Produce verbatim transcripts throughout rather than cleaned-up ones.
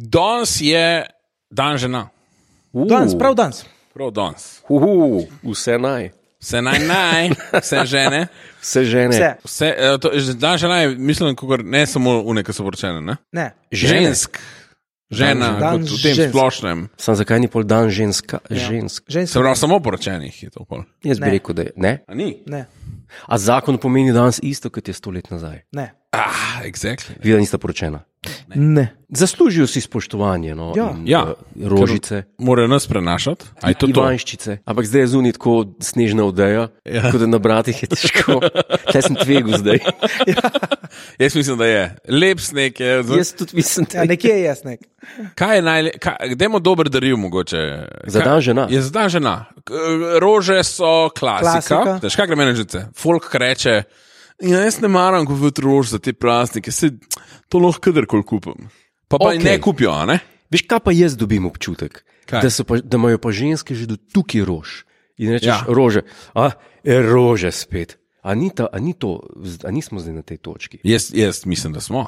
Danes je dan žena. Uh. Danes, prav danes. Prav danes. Uh, vse naj. Vse naj naj, vse žene. Vse žene. Vse. Vse, to, dan žena je, mislim, kakor, ne samo une, ki so poročene, ne? Ne. Žensk. Žena, Dan kot v tem žensk. splošnem. Sam zakaj ni pol dan ženska? Ja. Žensk. Žensk. Se pravi, samo poročenih je to pol. Jaz bi Ne. rekel, da je. Ne? A ni? Ne. A zakon pomeni danes isto, kot je sto let nazaj. Ne. Ah, exactly. Vida nista poročena. Ne. Zaslužijo si spoštovanje, no. Ja. In, Ja. uh, rožice. Morajo nas prenašati. A je to to? Ivanščice. Ampak zdaj je zunaj tako snežna odeja, ja. Tako da na bratih je težko. Tle sem tvegu zdaj. Jaz mislim, da je. Lep sneg je. Jaz tudi mislim, da Ja, nekje je jasnek. Kaj je najle... Kaj, dajmo dober daril mogoče. Za Kaj- dan žena. Je za dan žena. K- Rože so klasika. Klasika. Veš, kaj gre meni žice? Folk reče, ja, jaz ne maram kupiti rož za te praznike, se to lahko kadarkoli kupim. Pa pa Okej. okay. ne kupijo, a ne? Veš, kaj pa jaz dobim občutek? Kaj? Da, so pa, da imajo pa ženske že do tukaj rož. In rečeš, Ja. ja. rože, a je rože spet. A, ni ta, a, ni to, a nismo zdaj na tej točki. Jaz, jaz mislim, da smo.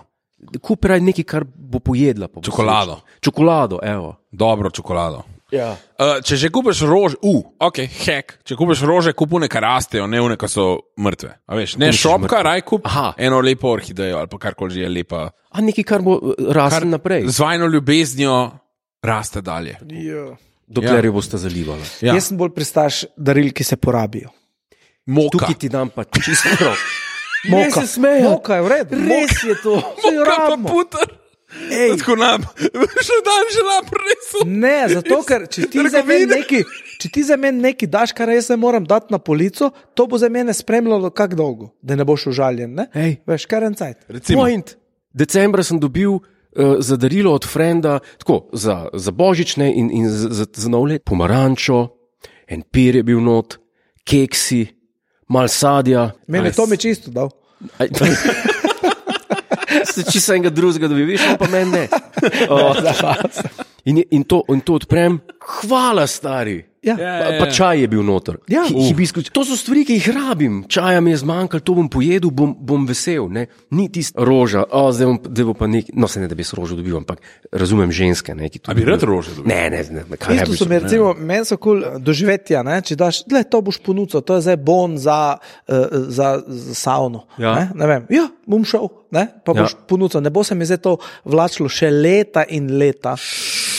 Kupi raj nekaj, kar bo pojedla. Pa bo Čokolado. srečna. Čokolado, evo. Dobro čokolado. Ja. Uh, če že kupiš rože, uh, ok, hek, če kupiš rože, kupune, kar rastejo, ne une, ki so mrtve. A veš, ne Kupiš šopka, mrtve. raj kup Aha. eno lepo orhidejo ali pa karkoli že je lepa. A nekaj, kar bo raslo Kar naprej, z vajno ljubeznijo raste dalje. Jo. dokler Ja. jo boste zalivali. Ja. Jaz sem bolj pristaš daril, ki se porabijo. Moka. Tukaj ti dam pa čisto prav. Moka. Ne se smejo. Moka je v redu. Res je to. Saj jo Moka pa rabimo. puter. Ej. Tako nam, še dan že napresu. Ne, zato ker če ti za meni neki, če ti za meni neki daš, kar jaz ne moram dati na polico, to bo za mene spremljalo kak dolgo, da ne boš užaljen, ne? Ej. Veš, kar en cajt. Recimo, Point. Decembra sem dobil uh, za darilo od frenda, tako, za, za božične in, in za, za, za nov let, pomarančo, en pir je bil not, keksi, mal sadja. Mene to mi čisto dal. Aj, Se čisto enega drugega dobi, veš, on pa meni ne. O, in, je- in, to, in to odprem, hvala stari. Ja. Ja, Pa, pa čaj je bil noter. Ja. Hi- hibiskus. To so stvari, ki jih rabim. Čaja mi je zmanjkalo, to bom pojedel, bom, bom vesel. Ne? Ni tista roža, o, zdaj, bom, zdaj bo pa nek, no se ne da bi s rožo dobil, ampak razumem ženske. Ne, ki to A bi dobijo. rad rože dobil? Ne, ne, ne. ne kaj ne Isto bi so mi, recimo, meni so kul cool doživetja, ne? Če daš, gled, to boš ponudil, to je zdaj bon za, uh, za, za savno. Ja. Ne? Ne vem, ja, bom šel, ne? Pa boš Ja. ponudil, ne bo se mi zdaj to vlačilo še leta in leta.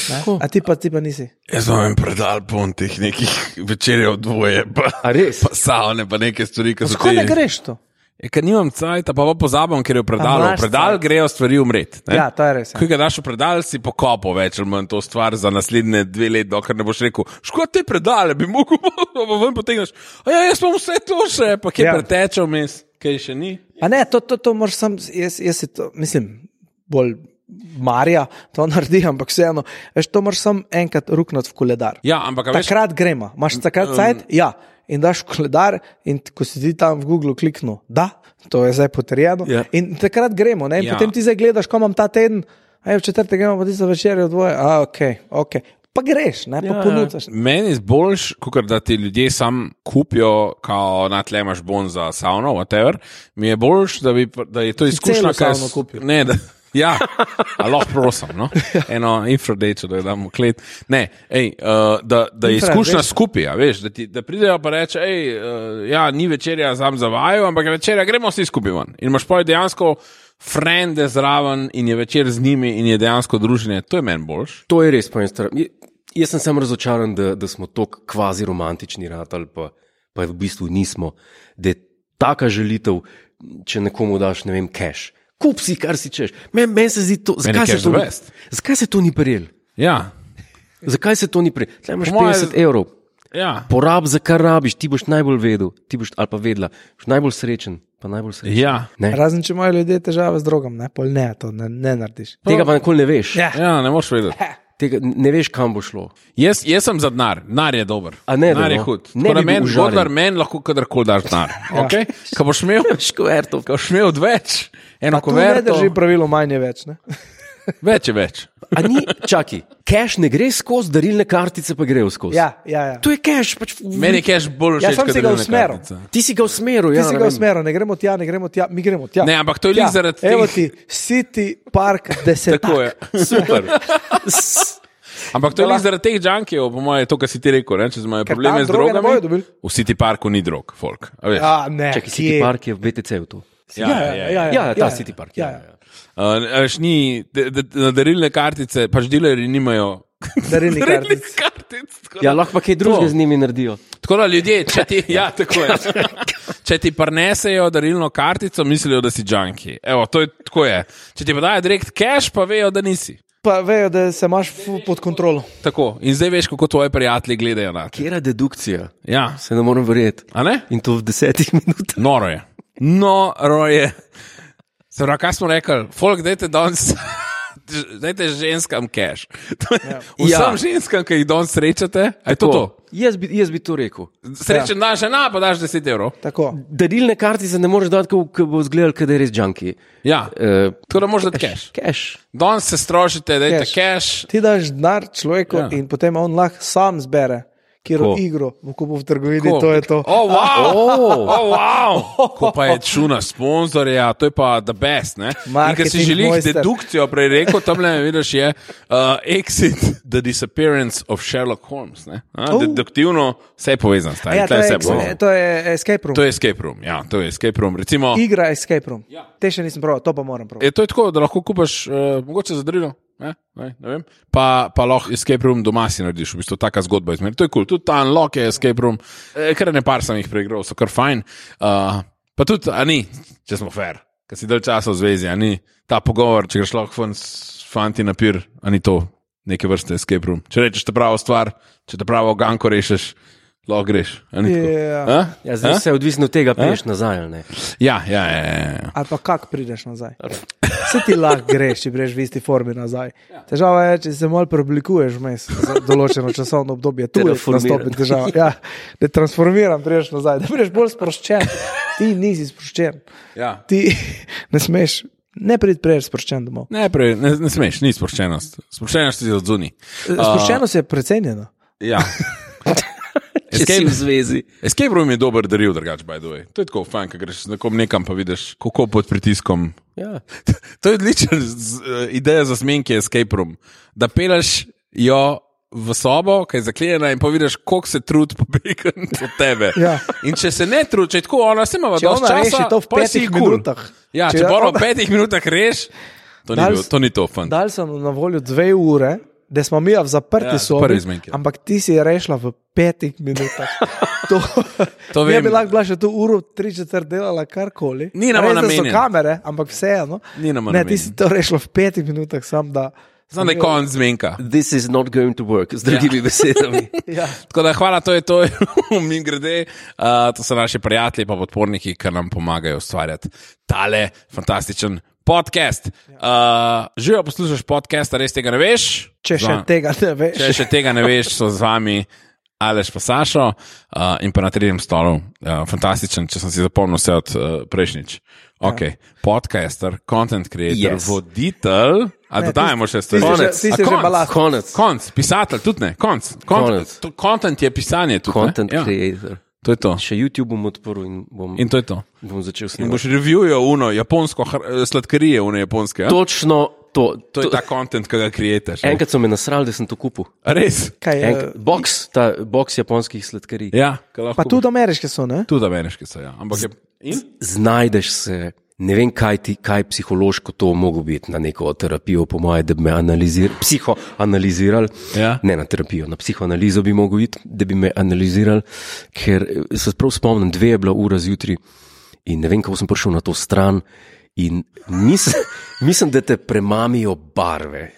Ne? A ti pa, ti pa nisi. Jaz vam en predal pon teh nekih večerjev dvoje, pa, A res? pa savne, pa neke stvari, ki so Skaj ne te- greš to? Je, ker nimam cajta, pa pa pozabam, ker je v A predalu. imaš V predal cajt. grejo stvari umret. Ne? Ja, to je res, ja. Ko ga daš v predal, si pokopal več ali manj to stvar za naslednje dve leti, dokler ne boš rekel, škoda te predale, bi mogel, pa ven potegneš. A ja, jaz imam vse to še, pa kje Ja. ja. pretečal mes, kaj še ni. A ne, to, to, to moraš sam, jaz, jaz si to, mislim, bolj Marija to naredi, ampak vseeno, veš, to moraš sam enkrat ruknati v koledar. Ja, ampak a veš, Takrat gremo, imaš takrat cajt, ja, in daš v koledar in t- ko si ti tam v Google kliknil, da, to je zdaj potrjeno, Ja. in takrat gremo, ne, in Ja. potem ti zdaj gledaš, ko imam ta teden, a je v četrtek gremo pa ti za večerjo dvoje, a ok, ok, pa greš, ne, pa Ja, ja. ponucaš. meni je boljš, kot da ti ljudje sam kupijo, kao na tle imaš bon za savno, whatever. Mi je boljš, da, bi, da je to izkušnja, celo kaj savno kupil. Ne, da, ja, a lahko prosim, no? Eno infradečo, da jo damo klet. Ne, ej, uh, da, da je Infra, izkušnja veš. skupaj, a veš, da, ti, da pridejo pa reče, ej, uh, ja, ni večerja sam za vaju, ampak je večerja, gremo vsi skupaj ven. In imaš pa dejansko frende zraven in je večer z njimi in je dejansko druženje, to je meni boljš. To je res po eni strani. Jaz sem samo razočaran, da, da smo tako kvazi romantični ratali, pa, pa v bistvu nismo. Da je taka želitev, če nekomu daš, ne vem, cash. Kup si, kar si češ. Meni men se zdi to, zakaj se cash to, the ni, best. zakaj se to ni prijel? Ja, Zakaj se to ni prijel? Tle imaš Po moje- petdeset evrov. ja. Porab za kar rabiš, ti boš najbolj vedel, ti boš ali pa vedela, boš najbolj srečen, pa najbolj srečen. Ja. Ne? Razen, če imajo ljudje težave z drogom, ne, pol ne, to ne, ne narediš. Tega pa nikoli ne veš. Ja. Ja, ne moreš vedeti. Tega ne veš, kam bo šlo. Jaz, jaz sem za denar, denar je dober. A ne, da denar je no. hud. Ne Tako da bi bil meni, užaljen. godar meni lahko kadarkoli daš denar. Okay? Ko boš imel, Škovertov. ko boš imel več, eno Tu ne koverto, drži pravilo manj je več, ne? več je več. A ni, čaki, cash ne gre skozi, darilne kartice pa grejo skozi. Ja, ja, ja. To je cash. Pač, Meni je cash bolj Ja, všeč, sam kot si ga darilna usmeril. kartica. Ti si ga usmeril, Ti ja. si ne ga vem. usmeril, ne gremo tja, ne gremo tja, mi gremo tja. Ne, ampak to je Tja. lih zaradi Evo teh- ti, City Park deset. Tako je. Super. Ampak to je lih zaradi teh junkijev, po mojem, to, kar si ti rekel, ne? Če imajo Ker probleme tam z droge ne bojo drogami. dobili. V City Parku ni drog, folk. A veš? Ja, ne. Čakaj, City Park je v B T C-u tu. Ja, ja, ja. Ja, ta City Park. Ja, Ja, ja. ja. Uh, veš, ni, de, de, na darilne kartice, pač dilerji nimajo Darilnih darilnih kartic. kartic. tako da- Ja, lahko pa kaj drugega z njimi naredijo. Tako da ljudje, če ti, ja, tako je. Če ti prinesejo darilno kartico, mislijo, da si junkie. Evo, to je tako je. Če ti pa dajo direkt cash, pa vejo, da nisi. Pa vejo, da se imaš fu- pod kontrolo. Tako. In zdaj veš, kako tvoji prijatelji gledajo na te. Kjera dedukcija? Ja, Se ne morem verjeti. a ne? In to v desetih minutah. Noro je. Noro je. Se pravi, kaj smo rekli? Folk, dajte danes. Dajte ženskam cash. Ja. Vsem Ja. ženskam, ki jih danes srečate, je to to. Jaz bi, jaz bi to rekel. Srečen dan, še na, pa daš deset evrov. Tako. Darilne kartice ne moreš dati, ko bo izgledal, da je res junkie. Ja, Uh, tako da možeš dati cash. Cash. Danes se strošite, dajte Cash. cash. Ti daš denar človeku Ja. ja. in potem on lahko sam zbere, kjero Ko? igro bo kupil v trgovini, Ko? to je to. Oh, wow! Oh. Oh, wow! Ko pa je čuna sponzorja, to je pa the best. Ne? In ker si Marketing želiš mojster. dedukcijo, prej rekel, tam le vidiš je uh, Exit, The Disappearance of Sherlock Holmes. Ne? A, Oh. deduktivno, vse je povezano, stari. Ja, to, Tle je, vse ex- povezano. to je escape room. To je escape room, ja, to je escape room. Recimo, Igra escape room. Ja. Te še nisem prav, to pa moram prav. je to je tako, da lahko kupaš, uh, mogoče za darilo. Ne, ne, ne vem. Pa, pa lahko escape room doma si narediš, v bistvu taka zgodba izmer. To je kul, cool. Tudi ta unlock je escape room, e, kar ne par sem jih preigral, so kar fajn. Uh, pa tudi, a ni, če smo fair, ker si dalj časa v zvezi, a ni ta pogovor, če greš lahko ven s fanti na pir, a ni to neke vrste escape room. Če rečeš te pravo stvar, če te pravo ganko rešeš, lahko greš. A ni tako? Ja. A? Ja, zdaj A? vse je odvisno od tega, priješ nazaj ali ne. Ja, ja, ja, ja, ja. Ali pa kak prideš nazaj. Vse ti lahko greš, če greš v isti formi nazaj. Težava je, če se malo preoblikuješ vmes za določeno časovno obdobje. Tu je Terraformiran. nastopi težava. Ja, da transformiram, prideš nazaj, da prideš bolj sproščen. Ti nisi sproščen. ja. Ti ne smeš, ne prid priješ sproščen domov. Ne, prej, ne, ne smeš, ni sproščenost. Sproščenost je od zunaj. Sproščenost je precenjena. Ja. Če si v zvezi. Escape room je dober daril, drugače, by the way. To je tako fajn, ko greš z nekom nekam, pa vidiš, kako pod pritiskom. Ja. To je odlična uh, ideja za zmenke escape room. Da peleš jo v sobo, ki je zaklenjena in pa vidiš, koliko se trud pobegati od tebe. Ja. In če se ne trud, če je tako, ona se ima Če dosti ona časa, reši to v pol si petih cool. minutah. Ja, Če če, če pa ona ona- v petih minutah reš, to ni, Dal bil, s- to ni to fun. Dal sem na voljo dve ure, da smo mi v zaprti Ja, sobi, prvi zmenki. ampak ti si je rešila v petih minutah. To, To mi vem. bi lahko bila še tu uro, tri četrt delala karkoli. Ni nama Res, da so namenjen. kamere, ampak vseeno. Ni nama Ne, namenjen. ti si to rešila v petih minutah, sam da. Znam, da je konc zmenka. This is not going to work, z drugimi ja. besedami. Ja. Tako da hvala, to je to, mi grede. Uh, to so naši prijatelji, pa podporniki, ki nam pomagajo ustvarjati tale fantastičen podcast. Uh, Živijo, poslušaš podcast, res tega ne veš? Če še Zva- tega ne veš. Če še tega ne veš, so z vami Aleš pa Sašo uh, in pa na tretjem stolu. Uh, fantastičen, če sem si zapomnil vse od uh, prejšnjič. Okay. Podcaster, content creator, Yes. voditelj. A Ne, dodajemo ti- še ti stvari. si že- Konec. ti si A že konc? balast. Konec. Konc, pisatelj, tudi ne, konc. Konc, Konec. to- Content je pisanje tudi. Content ne? Ja, creator. to je to. Še YouTube bom odprl in bom, In to je to. bom začel In snemati. boš reviewal uno, japonsko hr- sladkarije, uno japonske. Ja? To, Točno to. to je ta content, ki ga kreiraš. Enkrat so me nasrali, da sem to kupil. Res. Kaj, je, Enkrat, box, ta box japonskih sladkarij. Ja, ka lahko pa tudi ameriške so, ne? tudi ameriški so. Ja. Ampak je. In? Znajdeš se, ne vem, kaj ti, kaj psihološko to mogo biti na neko terapijo, po moje, da bi me analizirali, psihoanalizirali. Ja. Ne na terapijo, na psihoanalizo bi mogel iti, da bi me analizirali, ker eh, se prav spomnim, dve je bila ura zjutraj in ne vem, kako sem prišel na to stran in mislim, mislim da te premamijo barve.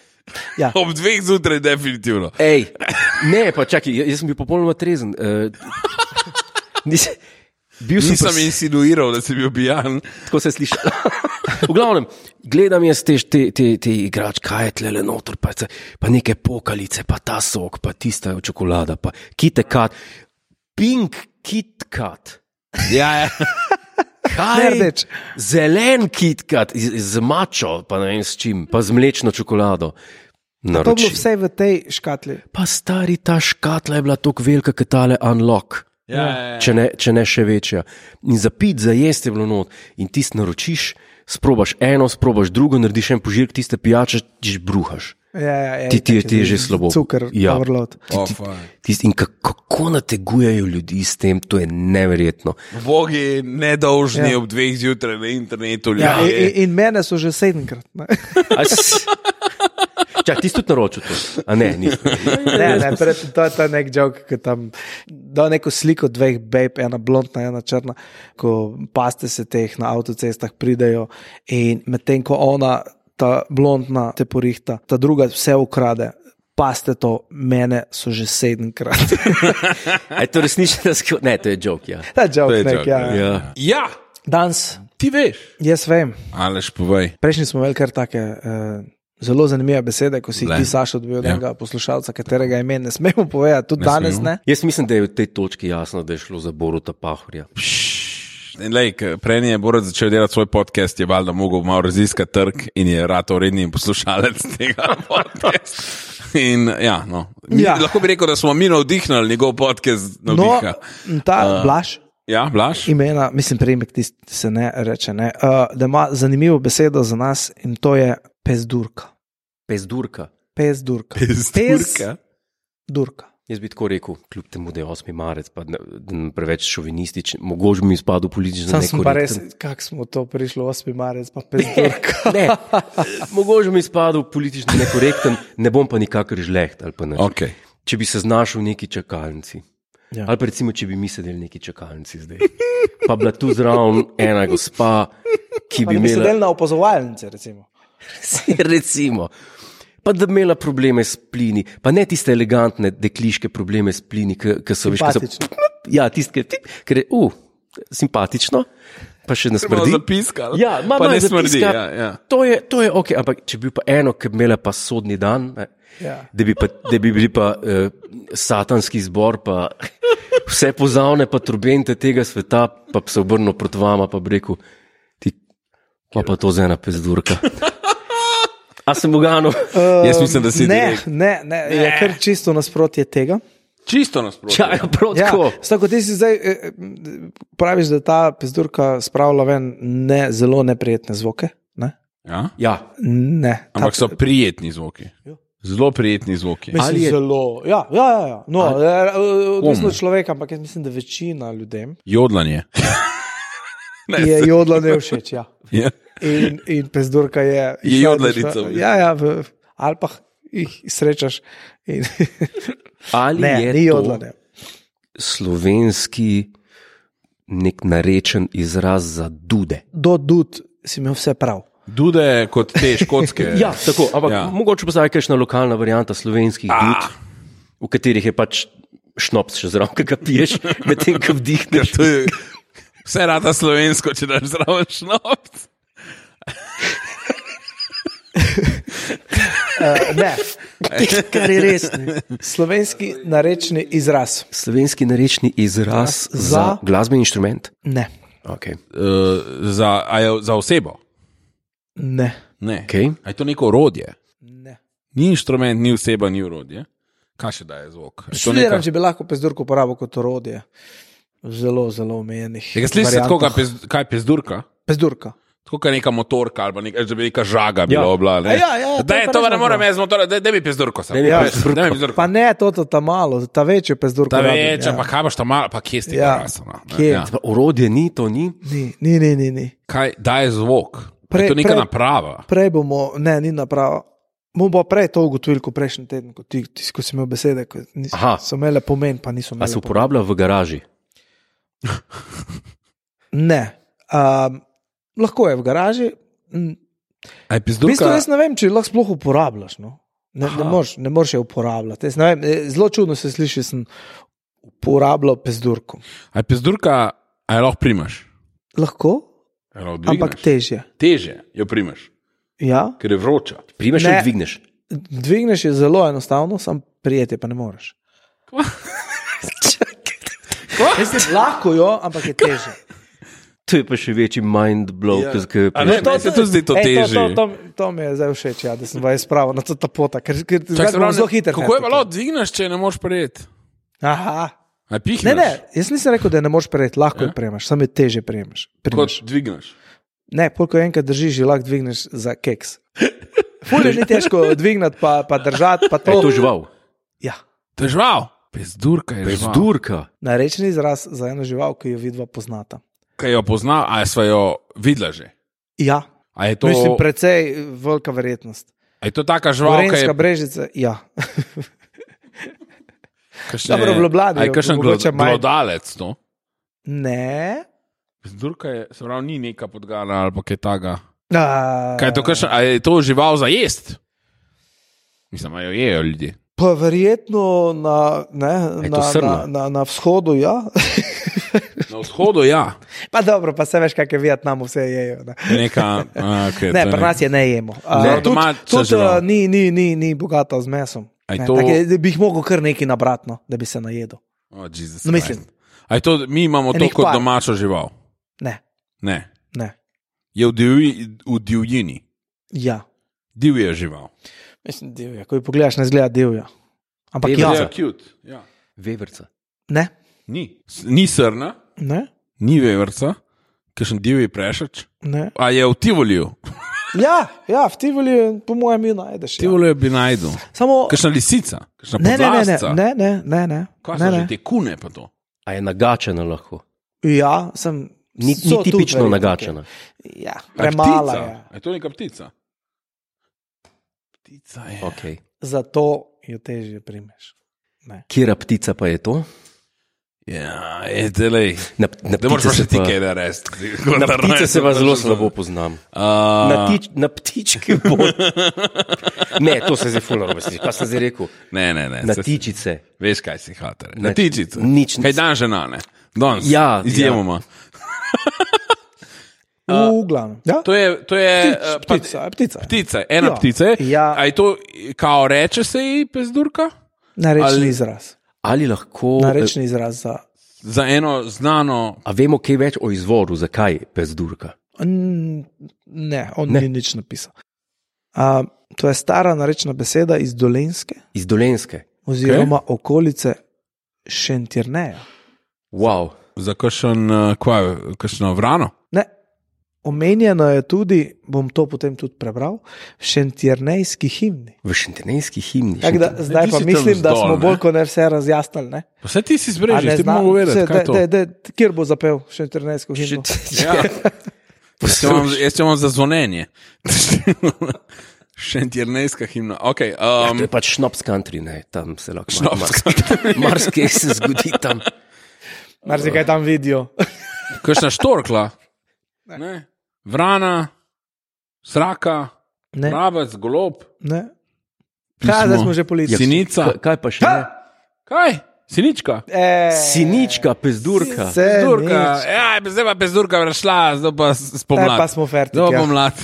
Ja. Ob dveh zjutraj, definitivno. Ej, ne, pa čakaj, jaz sem bil popolnoma trezen. Uh, nis, bil sem Nisem pres- insinuiral, da si bil pijan. Tako se sliši. V glavnem, gledam jaz te, te, te, te igrač, kaj je tle noter, pa, se- pa neke pokalice, pa ta sok, pa tista čokolada, pa KitKat, pink KitKat. Ja, ja. Kaj? Nerdeč. Zelen KitKat z, z mačo, pa ne vem s čim, pa z mlečno čokolado. To je bilo vse v tej škatli. Pa stari, ta škatla je bila tako velika, kot tale unlock. Ja, ja, ja. Če, ne, če ne še večja. In za pit, za jesti je bilo not. In ti naročiš, sprobaš eno, sprobaš drugo, narediš en požirk, tiste pijače, ti bruhaš. Ja, ja, ja, Ti, ti, ti je že slabo. Cukor, Ja. overload. Ti, Oh, ti, fuck. tist, in kako, kako nategujejo ljudi s tem, to je neverjetno. Bogi nedolžni Ja. ob dveh zjutraj na internetu. Ja, in, ljudje. in- in mene so že sedemkrat. Ne, A s- Čak, ti si tudi naročil to? A ne, nisem. ne, ne pred, to je ta nek joke, ki tam da neko sliko dveh babe, ena blondna, ena črna, ko paste se teh na avtocestah pridejo in medtem ko ona, ta blondna, te porihta, ta druga vse ukrade. Paste to, mene so že sedemkrat. A je to resnično? sk- Ne, to je joke, ja. Ta joke, To je nek, joke, ja. ja. Ja, Danes, ti veš. jaz vem, Aleš, povej. prejšnji smo imeli kar take uh, zelo zanimive besede, ko si jih Le. ti, Sašo, dobil od Ja. enega poslušalca, katerega ime ne smemo povedati, tudi Ne danes smemo. ne. Jaz mislim, da je v tej točki jasno, da je šlo za Boruta Pahorja. Prej je Borod začel delati svoj podcast, je valjda mogel malo raziskati trg in je rato redni poslušalec tega podcasta. In, ja, no. Mi, Ja. Lahko bi rekel, da smo mi navdihnili njegov podcast. No, Navdiha. ta Uh, uh, Blaž, Ja, Blaž. imena, mislim, priimek ti se ne reče, ne, uh, da ima zanimivo besedo za nas in to je pezdurka. Pezdurka. Pezdurka. Pezdurka? Pezdurka. Jaz bi tako rekel, kljub temu, da je osmi marec, pa ne, da ne preveč šovinističen, mogoče bi mi izpadel politično Sam sem pa res, nekorekten. kako smo to prišli, osmi marec, pa pezdurka. Ne, mogoče bi mi izpadel politično nekorekten, ne bom pa nikakor žleht ali pa ne. Okay. Če bi se znašel v neki čakalnici. Ja. Ali pa recimo, če bi mi sedeli v neki čakalnici zdaj. Pa bila tu zraven ena gospa, ki Pa bi da bi imela. sedeli na opazovalnice, recimo. Recimo. Pa da bi imela probleme s plini, pa ne tiste elegantne dekliške probleme s plini, ki so veš, ki so. Simpatične. Ja, tiste, ki je, uh, simpatično, pa še ne Malo smrdi. zapiskal. Ja, ma, pa ma, ne smrdi. zapiska. Ja, ja. To je, to je ok, ampak če bi bil pa eno, ki bi imela pa sodni dan, ne, Ja. da, bi pa, da bi bili pa uh, satanski zbor, pa vse pozavne, pa trubente tega sveta, pa bi se obrnil proti vama, pa bi rekel, ti, pa pa to za ena pezdurka. A sem uganil? Jaz mislim, da si Ne, direkt- ne, ne, je kar čisto nasprotje tega. Čisto nasprotno. Čaj, prav Ja, tako. tako ti si zdaj eh, eh, praviš, da ta pezdurka spravlja ven ne, zelo neprijetne zvoke. Ne? Ja? Ja, Ne. Ampak Ta- so prijetni zvoki. Zelo prijetni zvoki. Mislim, Ali je- zelo. Ja, ja, ja, ja. No, eh, odvisno od človeka, ampak jaz mislim, da večina ljudem Jodlanje. Ne, je jodlanje všeč. Ja. Ja. In, in pezdurka je. Je jodlarica, v Ja, ja, v Alpah jih srečaš. In, ali ne, je ni to jodlanje. slovenski nek narečen izraz za dude? Do dud si imel vse prav. Dude kot te škotske. Ja, tako, ampak Ja. ja. mogoče pa zdaj kakšna lokalna varianta slovenskih Ah. dud, v katerih je pač šnops še zraven, ki ga piješ, medtem ko vdihneš. To je vse rata slovensko, če daš zraven šnops. Uh, ne, Kar je res. Ne. slovenski narečni izraz. Slovenski narečni izraz Za- za, za glasbeni inštrument. Ne, Okay. Uh, za, a je za osebo? ne, Ne. Okay. A je to neko orodje? ne. Ni inštrument, ni oseba, ni orodje. Kaj še daje zvok? Je to Študiram, neka- če bi lahko pezdurko uporabil kot orodje. Zelo, zelo omejenih. Tega slišiš, variantah. tako, kaj, pez, kaj je pezdurka? Pezdurka. Tako kot neka motorka ali pa neka, da bi neka žaga bila. Ja. Obla, ne? A ja, ja, to da je je pa to, res ne morem dobro. jaz motor, da mi pezdurko sam. Daj mi Ja, pezdurko. daj mi pezdurko. Pa ne to, to ta malo, ta večjo pezdurko. Ta rabim, večja, ja. pa kaj boš tam malo, pa kje si ti Ja. rasel? Kje? Ja. Pa orodje ni, to ni. Ni, ni, ni, ni, ni. Kaj daje zvok? Pre, Pre- je to neka pre- naprava. Prej bomo, ne, ni naprava. Bomo pa prej to ugotovili, kot prejšnji teden, ko, ti, ti, ko si imel besede, ko nis, Aha. so imele pomen, pa niso A imele se pomen. uporablja v garaži? Ne. Um, lahko je v garaži. Mm, A je V bistvu pezdurka? jaz ne vem, če jih lahko sploh uporabljaš. No? Ne, ne moreš ne moreš je uporabljati. Jaz ne vem, eh, zelo čudno se sliši, sem uporabljal pezdurko. A je pezdurka, a je lahko primaš? Lahko, A je lahko ampak dvigneš? težje. Težje jo primaš, Ja, ker je vroča. Primeš Ne. ali dvigneš? dvigneš je zelo enostavno, sam prijeti pa ne moreš. Jaz lahko jo, ampak je težje. To je pa še večji mind blow, Ja. ki A ne, to se tudi zdi to Ej, težje. To, to, to, to mi je zdaj všeč, ja, da sem vas spravil na to ta pota, ker, ker Čak, zdaj bom zelo hiter. Kako je bilo, dvigneš, če ne moreš prejeti? Aha. A pihneš? Ne, ne, jaz nisem rekel, da ne moreš prejeti, lahko Ja? ja? jo prejmeš, samo je teže prejmeš. Kot prejmeš. dvigneš. Ne, koliko enkrat držiš, že lahko dvigneš za keks. Fulje ni težko dvignati, pa, pa držati, pa to. Je to žival? Ja. To je žival. Pezdurka je žival. Bezdurka. Narečen izraz za eno žival, ki jo vidva poznata. Kaj jo pozna, a sva jo videla že? Ja, A je to, mislim, precej velika verjetnost. a je to taka žival, ki je Gorenjska brežica, ja. kakšne- Dobro, v Ljubljani A je jo kakšen mogoče glo- manj. glodalec to? Ne. Pezdurka je, se pravi, ni neka podgana ali pa kaj taga. A, Kaj je to, kakšen, a je to žival za jest? Mislim, a jo jejo ljudje. Pa verjetno na, ne, Je to na, srna? na, na, na vzhodu, ja. Na vzhodu, ja. Pa dobro, pa se veš, kaj je v Vietnamu, vse jejo. Ne, Je neka, a, okay, ne to je pri nas je ne jemo. A, Ne, tudi domača tudi žival. uh, ni, ni, ni, ni bogata z mesom. A je Ne, to- tako je, da bi jih mogel kar nekaj nabratno, da bi se najedel. Oh, Jesus No, mislim. Christ. A je to, mi imamo to Enih kot par. domačo žival. Ne, Ne. ne. Je v, divji, v divjini. Ja. Divja žival. Mislim, divja. Ko jo pogledaš, ne zgleda divja. Ampak Divja. ja. Ja, cute. Ja. Veverca. Ne, Ni. S- Ni srna, ne, ni veverca, kakšen divji prešač. ne. A je v Tivoliju. Ja, ja, v Tivoli, po mojem, jo najdeš. Ja. Tivoliju bi najdel. Samo. Kakšna lisica, kakšna Ne, ne, ne, ne, podlasca. ne, ne, ne, ne. Kaj ne, so ne. že te kune pa to? A je nagačena lahko? Ja, sem. Ni, so ni tudi tipično verjetno nagačena. kaj. Ja, A je premala ptica? je. A je to neka ptica? Ptica je. Okay. Zato jo težje primeš. Ne. Kjera ptica pa je to? Ja, je delej. Na, na Da moraš ptice pa še se ti pa- kaj narediti. Na ptice se pa zelo slabo poznam. Uh, Na, tič, na ptičke bo. Ne, to se zdaj fulno obvesti. Pa sem zdaj rekel. Ne, ne, ne. Na se- tičice. Veš, kaj si hater. Na- Na tičice. nič- Kaj dan žena, ne? Danes. Ja, Izjemoma. V glavnem. Ja? To je, to je Ptic, eh, pa- ptica, je ptica. ptica, ena Ja. ptica. je. Ja. A je to, kao reče se ji pezdurka? Narečni Ali- izraz. Ali lahko. Narečni izraz za. Za eno znano. A vemo kaj več o izvoru, zakaj pezdurka? N- Ne, on Ne. ne. ni nič napisal. A, to je stara narečna beseda iz Dolenske Iz Dolenske. oziroma okay. okolice Šentirneja. Wow. Za kakšen, eh, kvaj, kakšno vrano? Ne. Omenjeno je tudi, bom to potem tudi prebral, v šentjernejski himni. V šentenejski himni. Tak, da, zdaj ti pa si tam mislim, da zdol, smo ne? bolj kot ne vse razjasnili. Ne? Pa vse ti si A zbrežil, ne ti bi zna- mogel vedeti, se- kaj je to. daj, daj, daj, Kjer bo zapel šentjernejsko himno? Ja. Jaz če imam- Jaz če imam za zvonjenje. Šentjernejska himna. Okay, To um, je pač šnops country, ne, tam se lahko Šnops marsikaj se zgodi tam. Mar se kaj tam vidijo. kakšna štorkla. Ne. Vrana, sraka, Ne, mravec, golob, ne. Pismo. Kaj, zdaj smo že policija. sinica. Kaj, kaj pa še? Ne? Kaj? Sinička. E, Sinička, pezdurka. Se Pezdurka. nič. Ja, zdaj pa pezdurka prešla, zdaj pa Zdaj spomlad. pa smo fertik. Zdaj pa Ja. pomlad.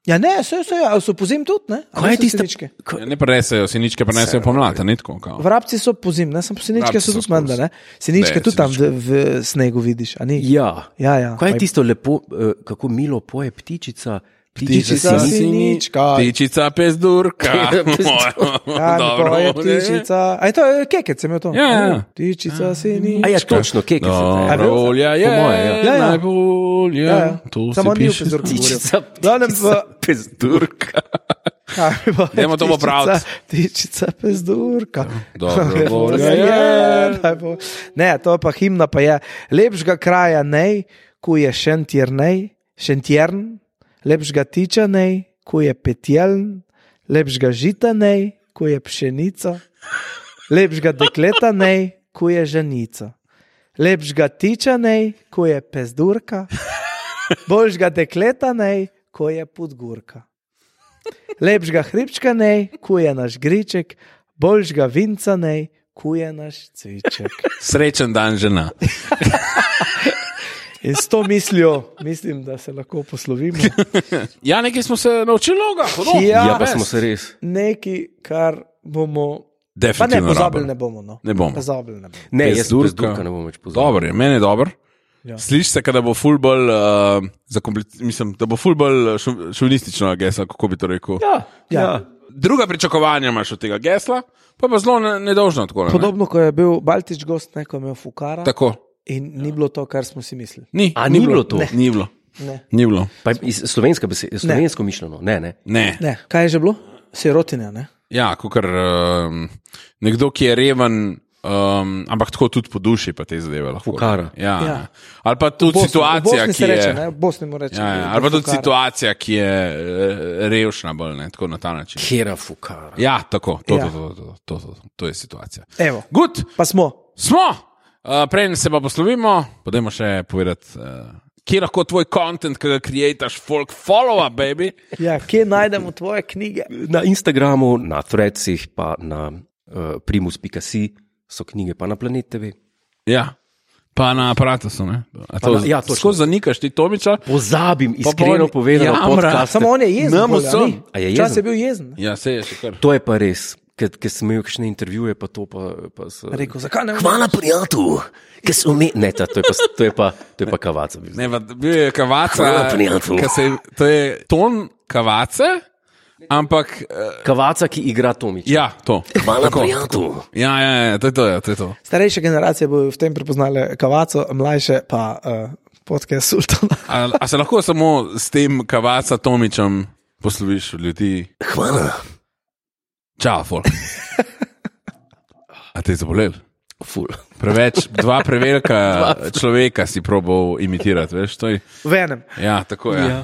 ja, ne, se, se, ja, so pozim tudi, ne? A Kaj je niso tista- siničke? Ja, ne prenesejo, siničke prenesejo pomlad, a ni tako. kao. Vrabci so pozim, ne samo siničke, Vrabci so so tudi menda, ne? Siničke Ne, tudi tam siničke. v, v snegu vidiš, a ni? Ja. Ja, ja. Kaj je Pa tisto lepo, eh, kako milo poje ptičica? Ptičica sini- sinička. Ptičica pezdurka. Ja, Dobro, to je ne? ptičica. A je to je kekec, sem jo to. Ja, ja. O, Ptičica sinička. A ja, točno, keke se A daje. bil? Rolja je, Po moje, ja. Ja, ja. najbolj, Ja, ja. ja. To Samo se ni v piše. pezdurku govoril. Ptičica, Glavnem v- ptičica, pezdurka. Kaj pa je Dajmo to ptičica- popraviti. Ptičica pezdurka. Dobro, Volja volja je, je. najbolj- Ne, to pa himna pa je. Lepšega kraja nej, ko je šentjernej, šentjern, lepšega tiča nej, ko je petjeln, lepšega žita nej, ko je pšenica, lepšega dekleta nej, ko je ženica, lepšega tiča nej, ko je pezdurka, boljšega dekleta nej, ko je podgurka. Lepšega hribčka nej, ko je naš griček, boljšega vinca nej, ko je naš cviček. Srečen dan, žena. In s to mislijo, mislim, da se lahko poslovimo. Ja, nekaj smo se naučili, loga. hudo. Ja, Ja, pa res. smo se res. Nekaj, kar bomo. Pa ne, Definitivno pozabili rabimo. ne bomo. No. Ne bomo. Pozabili ne bomo. Ne, jaz Pezdurka. pezdurka ne bom več pozabil. Dobro je, meni je dobro. Ja. Sliši se, da bo ful bolj, uh, zakomplic- mislim, da bo ful bolj šo- šovinistično geslo, kako bi to rekel. Ja, ja. Ja. Druga pričakovanja imaš od tega gesla, pa pa zelo ne- nedolžno tako. Ne? Podobno, ko je bil Baltič gost, neko imel Fukara Tako. in ni bilo to, kar smo si mislili. Ni, A ni bilo to? Ne. Ni bilo. Ne. Ni bilo. Pa iz slovenska beseda, slovensko mišljeno, ne, ne. Ne. Ne. Kaj je že bilo? Sirotinja, ne? Ja, kakor um, nekdo, ki je reven, um, ampak tako tudi po duši, pa te zadeve lahko. Fukara. Ja. Ja. Ali pa tudi Bosni- situacija, v Bosni ki se reče, je. ne? V Bosni mu reče. Ja, ja. Ali pa tudi situacija, ki je eh, revšna, bolj ne, tako na ta način. Kjera fukara. Ja, tako, to, Ja. to, to, to, to, to, to je situacija. Evo, Good, pa smo. smo, uh, prej se pa poslovimo, podajmo še povedati, uh, kje lahko tvoj content, ki ga creataš, folk follow up, baby. Ja, kje najdemo tvoje knjige? Na Instagramu, na Threadsih, pa na uh, primus pika si so knjige, pa na Planet T V. Ja, pa na aparatusu, ne? A to, na- ja, točno. skozi zanikaš ti Tomiča? Pozabim, Pa iskreno pol- povedano, Ja, podcast. Samo on je jezen. Nam bolj, a vsem. ni? A je Včasih jezen? je bil jezen. Ja, se je še kar. To je pa res, ker sem imel kakšne intervjuje, pa to pa, pa so... Rekel, zakaj ne? Hvala, prijatelj, ki so mi... Ne, ta, to, je pa, to, je pa, to je pa kavaca. bil. Ne, pa bil je kavaca, Hvala, prijatelj. ka se, je- to je ton kavace, ampak uh, Kavaca, ki igra Tomiča. ja, to. Hvala, Tako. prijatelj. Ja, ja, ja, to je to, ja, to je to. Starejše generacije bodo v tem prepoznale kavaco, mlajše pa uh, podcast Sultana. A, a se lahko samo s tem kavaca Tomičem posloviš od ljudi? Hvala. Čau, folk. A te je zabolel? Ful. Preveč, dva prevelika človeka si probal imitirati, veš, to je. V enem. Ja, tako je. Ja. Ja.